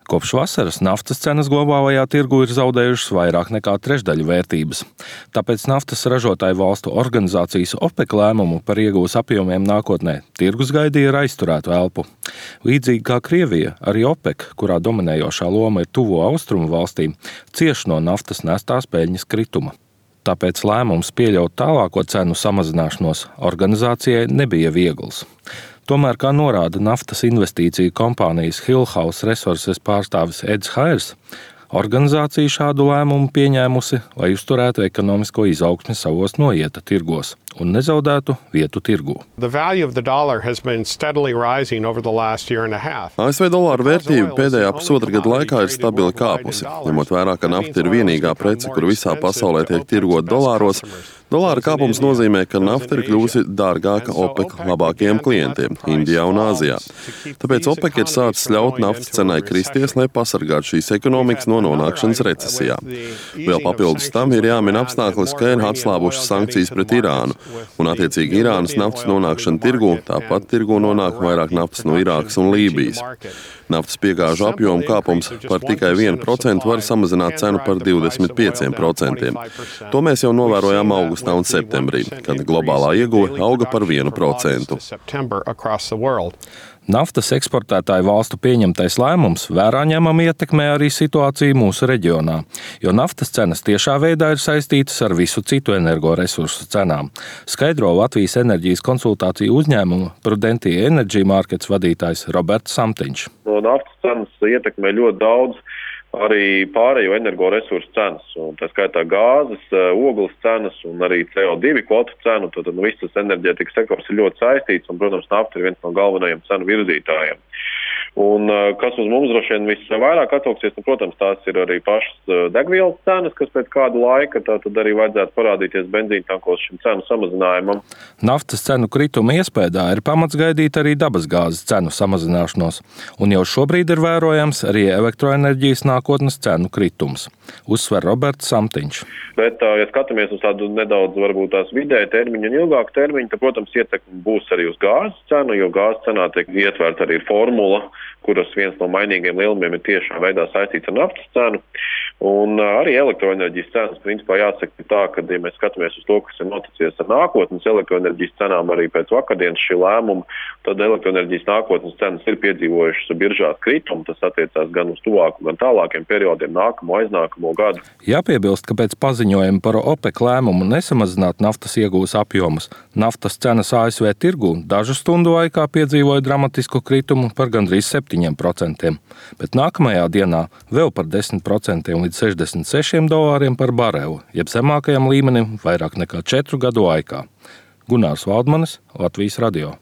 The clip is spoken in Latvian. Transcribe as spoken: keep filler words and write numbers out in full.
Kopš vasaras naftas cenas globālajā tirgu ir zaudējušas vairāk nekā trešdaļu vērtības. Tāpēc naftas ražotāju valstu organizācijas OPEC lēmumu par iegūs apjomiem nākotnē tirgus gaidīja ar aizturētu elpu. Līdzīgi kā Krievija, arī OPEC, kurā dominējošā loma ir tuvo austrumu valstīm, cieš no naftas nestās peļņas krituma. Tāpēc lēmums pieļaut tālāko cenu samazināšanos organizācijai nebija viegls. Tomēr, kā norāda naftas investīciju kompānijas Hillhouse Resources pārstāvis Eds Hairs, organizācija šādu lēmumu pieņēmusi, lai uzturētu ekonomisko izaugsmi savos noieta tirgos un nezaudētu vietu tirgū. A S V dolāra vērtība pēdējā pusotra gada laikā ir stabili kāpusi. Ņemot vērā, ka nafta ir vienīgā prece, kur visā pasaulē tiek tirgot dolāros, dolāra kāpums nozīmē, ka nafta ir kļuvusi dārgāka OPEC labākajiem klientiem – Indijā un Āzijā. Tāpēc OPEC ir sācis ļaut naftas cenai kristies, lai pasargātu šīs ekonomikas no nonākšanas recesijā. Vēl papildus tam ir jāmin apstākļus, ka ir atslābušas sankcijas pret Irānu, un attiecīgi Irānas naftas nonākšana tirgū, tāpat tirgū nonāk vairāk naftas no Irākas un Lībijas. Naftas piegāžu apjomu kāpums par tikai vienu procentu var samazināt cenu par divdesmit pieciem procentiem. To mēs jau novērojām augustā un septembrī, kad globālā ieguve auga par vienu procentu. Naftas eksportētāju valstu pieņemtais lēmums vērā ņemami ietekmē arī situāciju mūsu reģionā, jo naftas cenas tiešā veidā ir saistītas ar visu citu energoresursu cenām, skaidro Latvijas enerģijas konsultāciju uzņēmuma Prudentia Energy Markets vadītājs Roberts Samtiņš. No naftas cenas ietekmē ļoti daudz arī pārējo energoresursu cenas, un tā skaitā gāzes, ogles cenas un arī C O divi kvotu cenu, tad nu, viss tas enerģētikas sektors ir ļoti saistīts, un, protams, nafta ir viens no galvenajiem cenu virzītājiem. Un kas uz mums droši vien visvairāk atsauksies, nu, protams, tās ir arī pašas degvielas cenas, kas pēc kādu laika tā tad arī vajadzētu parādīties benzīna tankos šim cenu samazinājumam. Naftas cenu krituma iespējā ir pamats gaidīt arī dabasgāzes cenu samazināšanos, un jau šobrīd ir vērojams arī elektroenerģijas nākotnes cenu kritums, uzsver Roberts Samtiņš. Bet, ja skatāmies uz tādu nedaudz varbūt tās vidēja termiņu un ilgāku termiņu, tad, protams, ietekme būs arī uz gāzes cenu, jo gāzes cenā tiek ietverta arī formula, kuras viens no mainīgiem lielumiem ir tiešā veidā saistīts ar naftas cenu. Un arī elektroenerģijas cenas, principā jāsaka tā, ka, ja mēs skatāmies uz to, kas ir noticies ar nākotnes elektroenerģijas cenām arī pēc vakardienas šī lēmuma, tad elektroenerģijas nākotnes cenas ir piedzīvojušas biržās kritumu. Tas attiecās gan uz tuvāku, gan tālākiem periodiem, nākamo, aiznākamo gadu. Jāpiebilst, ka pēc paziņojuma par OPEC lēmumu nesamazināt naftas iegūs apjomus, naftas cenas A S V tirgū dažu stundu laikā piedzīvoja dramatisku kritumu par gandrīz septiņiem procentiem, bet nākamajā dienā vēl par desmit procentiem līdz sešdesmit sešiem dolāriem par barelu, jeb zemākajam līmenim vairāk nekā četru gadu laikā. Gunārs Valdmanis, Latvijas radio.